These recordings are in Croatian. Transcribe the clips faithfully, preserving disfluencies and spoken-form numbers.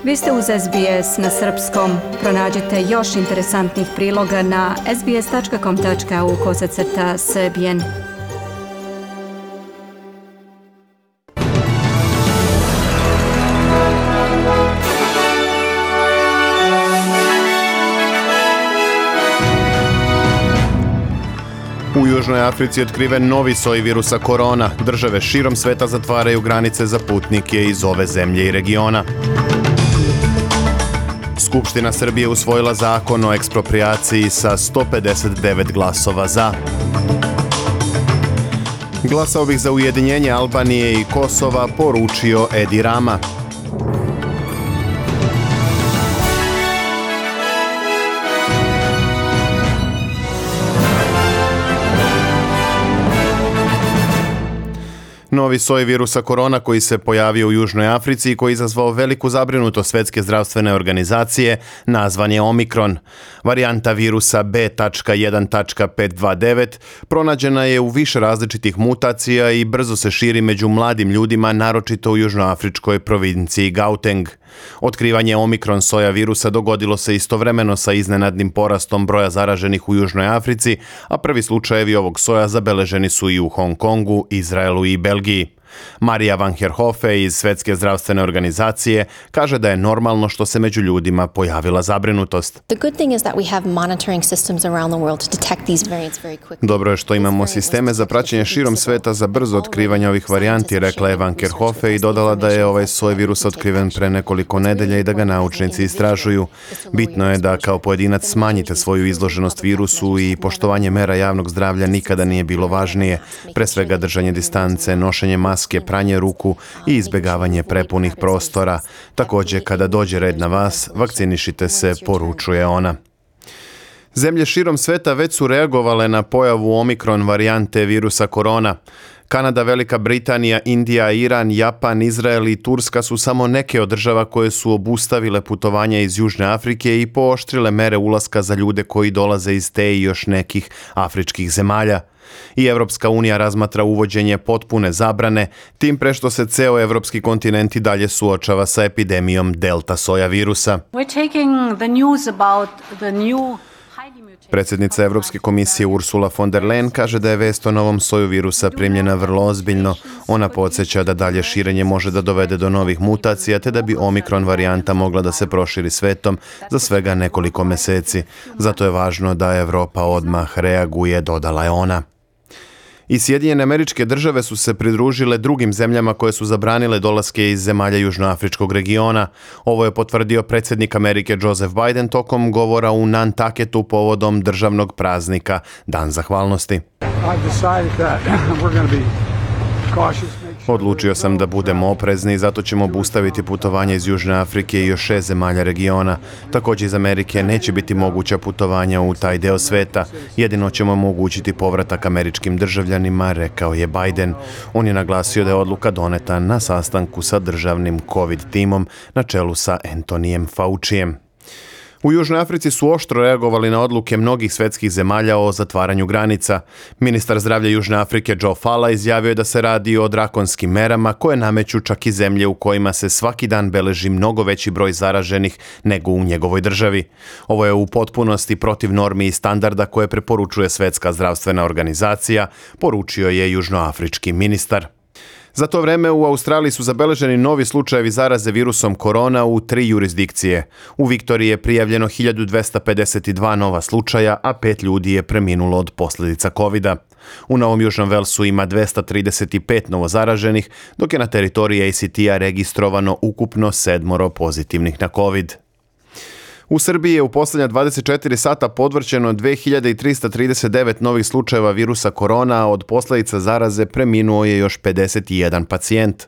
Vi ste uz S B S na srpskom. Pronađite još interesantnih priloga na sbs.com.au kosacrta srbijen. U Južnoj Africi je otkriven novi soj virusa korona. Države širom sveta zatvaraju granice za putnike iz ove zemlje i regiona. Skupština Srbije usvojila zakon o eksproprijaciji sa sto pedeset devet glasova za. Glasao bih za ujedinjenje Albanije i Kosova, poručio Edi Rama. Novi soj virusa korona koji se pojavio u Južnoj Africi i koji je izazvao veliku zabrinutost Svjetske zdravstvene organizacije nazvan je Omikron. Varijanta virusa B jedan pet dva devet pronađena je u više različitih mutacija i brzo se širi među mladim ljudima, naročito u južnoafričkoj provinciji Gauteng. Otkrivanje Omikron soja virusa dogodilo se istovremeno sa iznenadnim porastom broja zaraženih u Južnoj Africi, a prvi slučajevi ovog soja zabeleženi su i u Hong Kongu, Izraelu i Belgiji. Marija van Herhofe iz Svjetske zdravstvene organizacije kaže da je normalno što se među ljudima pojavila zabrinutost. Dobro je što imamo sisteme za praćenje širom sveta za brzo otkrivanje ovih varijanti, rekla je van Herhofe i dodala da je ovaj soj virusa otkriven pre nekoliko nedelja i da ga naučnici istražuju. Bitno je da kao pojedinac smanjite svoju izloženost virusu i poštovanje mera javnog zdravlja nikada nije bilo važnije, pre svega držanje distance, nošenje maske, pranje ruku i izbjegavanje prepunih prostora. Također, kada dođe red na vas, vakcinišite se, poručuje ona. Zemlje širom sveta već su reagovale na pojavu Omikron varijante virusa korona. Kanada, Velika Britanija, Indija, Iran, Japan, Izrael i Turska su samo neke od država koje su obustavile putovanja iz Južne Afrike i pooštrile mere ulaska za ljude koji dolaze iz te i još nekih afričkih zemalja. I Evropska unija razmatra uvođenje potpune zabrane, tim pre što se ceo evropski kontinent i dalje suočava sa epidemijom delta soja virusa. Predsjednica Evropske komisije Ursula von der Leyen kaže da je vest o novom soju virusa primljena vrlo ozbiljno. Ona podsjeća da dalje širenje može da dovede do novih mutacija te da bi Omikron varijanta mogla da se proširi svetom za svega nekoliko meseci. Zato je važno da Evropa odmah reaguje, dodala je ona. I Sjedinjene Američke Države su se pridružile drugim zemljama koje su zabranile dolaske iz zemalja južnoafričkog regiona. Ovo je potvrdio predsjednik Amerike Joseph Biden tokom govora u Nantucketu povodom državnog praznika Dan zahvalnosti. Odlučio sam da budemo oprezni i zato ćemo obustaviti putovanje iz Južne Afrike i još šest zemalja regiona. Također iz Amerike neće biti moguća putovanja u taj deo sveta. Jedino ćemo omogućiti povratak američkim državljanima, rekao je Biden. On je naglasio da je odluka doneta na sastanku sa državnim COVID timom na čelu sa Antonijem Faucijem. U Južnoj Africi su oštro reagovali na odluke mnogih svetskih zemalja o zatvaranju granica. Ministar zdravlja Južne Afrike Joe Fala izjavio je da se radi o drakonskim merama koje nameću čak i zemlje u kojima se svaki dan beleži mnogo veći broj zaraženih nego u njegovoj državi. Ovo je u potpunosti protiv normi i standarda koje preporučuje Svjetska zdravstvena organizacija, poručio je južnoafrički ministar. Za to vreme u Australiji su zabeleženi novi slučajevi zaraze virusom korona u tri jurisdikcije. U Viktoriji je prijavljeno hiljadu dvesta pedeset dva nova slučaja, a pet ljudi je preminulo od posljedica kovida. U Novom Južnom Velsu ima dvesta trideset pet novozaraženih, dok je na teritoriji A C T-a registrovano ukupno sedmoro pozitivnih na covid. U Srbiji je u posljednja dvadeset četiri sata podvrćeno dve hiljade trista trideset devet novih slučajeva virusa korona, a od posljedica zaraze preminuo je još pedeset jedan pacijent.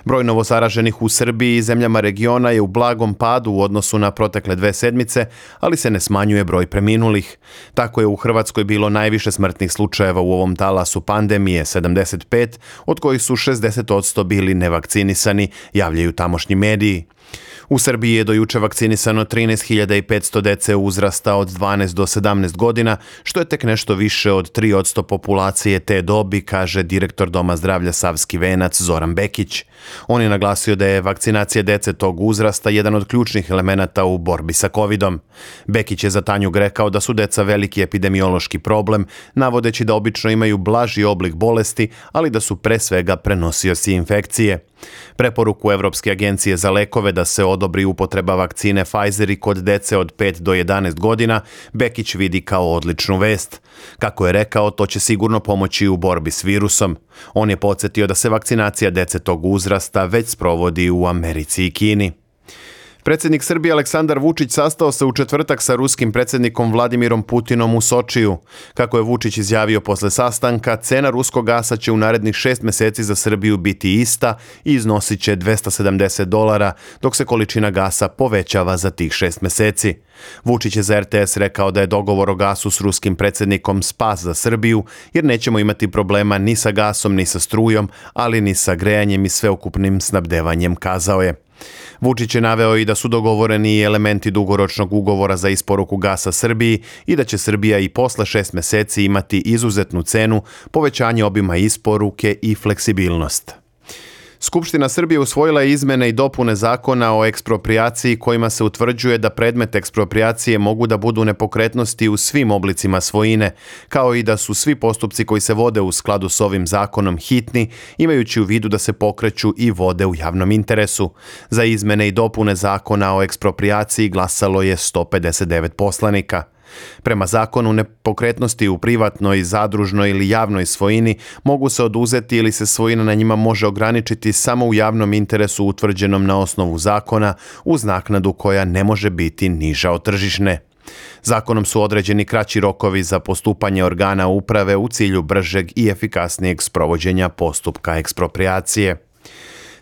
Broj novozaraženih u Srbiji i zemljama regiona je u blagom padu u odnosu na protekle dve sedmice, ali se ne smanjuje broj preminulih. Tako je u Hrvatskoj bilo najviše smrtnih slučajeva u ovom talasu pandemije, sedamdeset pet, od kojih su šezdeset posto bili nevakcinisani, javljaju tamošnji mediji. U Srbiji je do juče vakcinisano trinaest hiljada petsto dece uzrasta od dvanaest do sedamnaest godina, što je tek nešto više od tri posto populacije te dobi, kaže direktor Doma zdravlja Savski Venac Zoran Bekić. On je naglasio da je vakcinacija dece tog uzrasta jedan od ključnih elemenata u borbi sa covidom. Bekić je za Tanjug rekao da su deca veliki epidemiološki problem, navodeći da obično imaju blaži oblik bolesti, ali da su pre svega prenosioci infekcije. Preporuku Evropske agencije za lekove da se odobri upotreba vakcine Pfizer i kod dece od pet do jedanaest godina Bekić vidi kao odličnu vest. Kako je rekao, to će sigurno pomoći u borbi s virusom. On je podsjetio da se vakcinacija dece tog uzrasta već sprovodi u Americi i Kini. Predsjednik Srbije Aleksandar Vučić sastao se u četvrtak sa ruskim predsjednikom Vladimirom Putinom u Sočiju. Kako je Vučić izjavio posle sastanka, cena ruskog gasa će u narednih šest mjeseci za Srbiju biti ista i iznosit će dvesta sedamdeset dolara, dok se količina gasa povećava za tih šest mjeseci. Vučić je za er te es rekao da je dogovor o gasu s ruskim predsjednikom spas za Srbiju, jer nećemo imati problema ni sa gasom, ni sa strujom, ali ni sa grejanjem i sveukupnim snabdevanjem, kazao je. Vučić je naveo i da su dogovoreni i elementi dugoročnog ugovora za isporuku gasa Srbiji i da će Srbija i posle šest mjeseci imati izuzetnu cenu, povećanje obima isporuke i fleksibilnost. Skupština Srbije usvojila je izmene i dopune zakona o eksproprijaciji kojima se utvrđuje da predmet eksproprijacije mogu da budu nepokretnosti u svim oblicima svojine, kao i da su svi postupci koji se vode u skladu s ovim zakonom hitni, imajući u vidu da se pokreću i vode u javnom interesu. Za izmene i dopune zakona o eksproprijaciji glasalo je sto pedeset devet poslanika. Prema zakonu, nepokretnosti u privatnoj, zadružnoj ili javnoj svojini mogu se oduzeti ili se svojina na njima može ograničiti samo u javnom interesu utvrđenom na osnovu zakona uz naknadu koja ne može biti niža od tržišne. Zakonom su određeni kraći rokovi za postupanje organa uprave u cilju bržeg i efikasnijeg sprovođenja postupka eksproprijacije.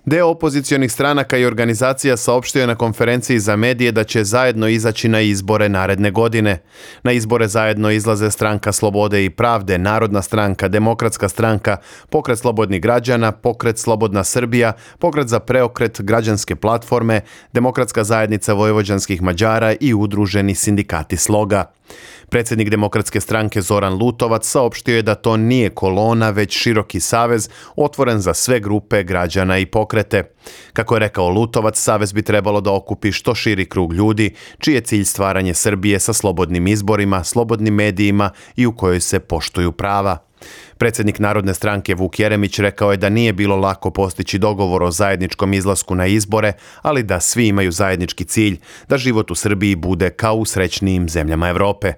Deo opozicionih stranaka i organizacija saopštio je na konferenciji za medije da će zajedno izaći na izbore naredne godine. Na izbore zajedno izlaze Stranka slobode i pravde, Narodna stranka, Demokratska stranka, Pokret slobodnih građana, Pokret Slobodna Srbija, Pokret za preokret, Građanske platforme, Demokratska zajednica vojvođanskih Mađara i Udruženi sindikati Sloga. Predsjednik Demokratske stranke Zoran Lutovac saopštio je da to nije kolona, već široki savez otvoren za sve grupe građana i pokrete. Kako je rekao Lutovac, savez bi trebalo da okupi što širi krug ljudi, čiji je cilj stvaranje Srbije sa slobodnim izborima, slobodnim medijima i u kojoj se poštuju prava. Predsjednik Narodne stranke Vuk Jeremić rekao je da nije bilo lako postići dogovor o zajedničkom izlasku na izbore, ali da svi imaju zajednički cilj, da život u Srbiji bude kao u srećnijim zemljama Evrope.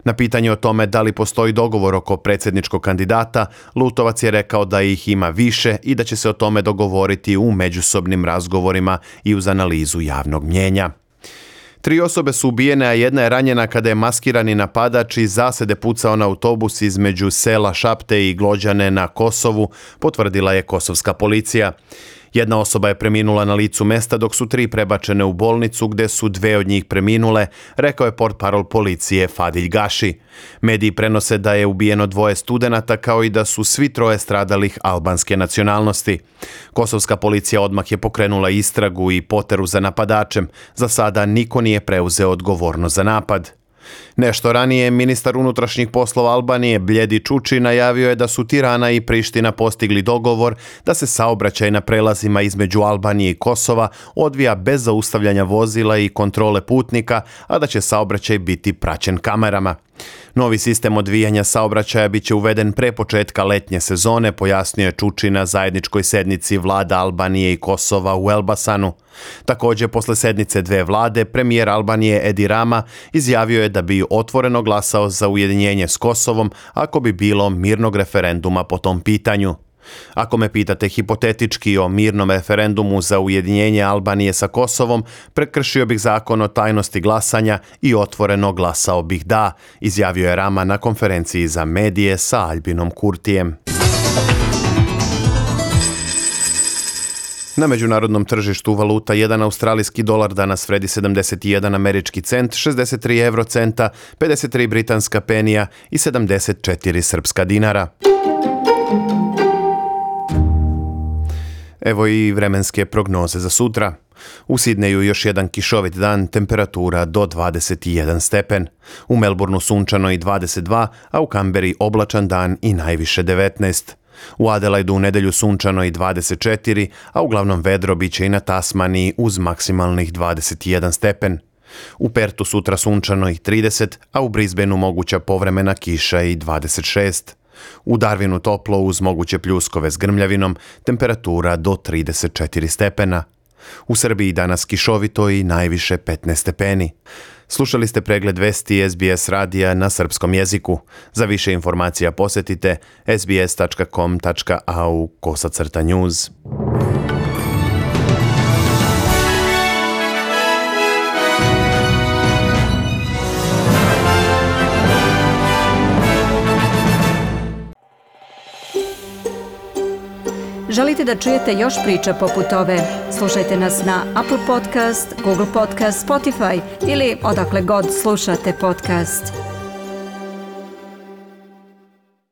Na pitanje o tome da li postoji dogovor oko predsjedničkog kandidata, Lutovac je rekao da ih ima više i da će se o tome dogovoriti u međusobnim razgovorima i uz analizu javnog mnjenja. Tri osobe su ubijene, a jedna je ranjena kada je maskirani napadač iz zasede pucao na autobus između sela Šapte i Glođane na Kosovu, potvrdila je kosovska policija. Jedna osoba je preminula na licu mesta, dok su tri prebačene u bolnicu gde su dve od njih preminule, rekao je portparol policije Fadilj Gaši. Mediji prenose da je ubijeno dvoje studenata, kao i da su svi troje stradalih albanske nacionalnosti. Kosovska policija odmah je pokrenula istragu i poteru za napadačem. Za sada niko nije preuzeo odgovornost za napad. Nešto ranije, ministar unutrašnjih poslova Albanije Bljedi Čuči najavio je da su Tirana i Priština postigli dogovor da se saobraćaj na prelazima između Albanije i Kosova odvija bez zaustavljanja vozila i kontrole putnika, a da će saobraćaj biti praćen kamerama. Novi sistem odvijanja saobraćaja biće uveden pre početka letnje sezone, pojasnio je Čuči na zajedničkoj sednici vlada Albanije i Kosova u Elbasanu. Također, posle sednice dve vlade, premijer Albanije Edi Rama izjavio je da bi otvoreno glasao za ujedinjenje s Kosovom ako bi bilo mirnog referenduma po tom pitanju. Ako me pitate hipotetički o mirnom referendumu za ujedinjenje Albanije sa Kosovom, prekršio bih zakon o tajnosti glasanja i otvoreno glasao bih da, izjavio je Rama na konferenciji za medije sa Albinom Kurtijem. Na međunarodnom tržištu valuta jedan australijski dolar danas vredi sedamdeset jedan američki cent, šezdeset tri evrocenta, pedeset tri britanska penija i sedamdeset četiri srpska dinara. Evo i vremenske prognoze za sutra. U Sidneju još jedan kišovit dan, temperatura do dvadeset jedan stepen. U Melbourneu sunčano i dvadeset dva, a u Kamberi oblačan dan i najviše devetnaest. U Adelaidu u nedjelju sunčano i dvadeset četiri, a uglavnom vedro bit će i na Tasmaniji uz maksimalnih dvadeset jedan stepen. U Pertu sutra sunčano i trideset, a u Brisbaneu moguća povremena kiša i dvadeset šest. U Darwinu toplo uz moguće pljuskove s grmljavinom, temperatura do trideset četiri stepena. U Srbiji danas kišovito i najviše petnaest stepeni. Slušali ste pregled vesti S B S radija na srpskom jeziku. Za više informacija posjetite sbs tačka com tačka au kosacrta news. Želite da čujete još priča poput ove? Slušajte nas na Apple Podcast, Google Podcast, Spotify ili odakle god slušate podcast.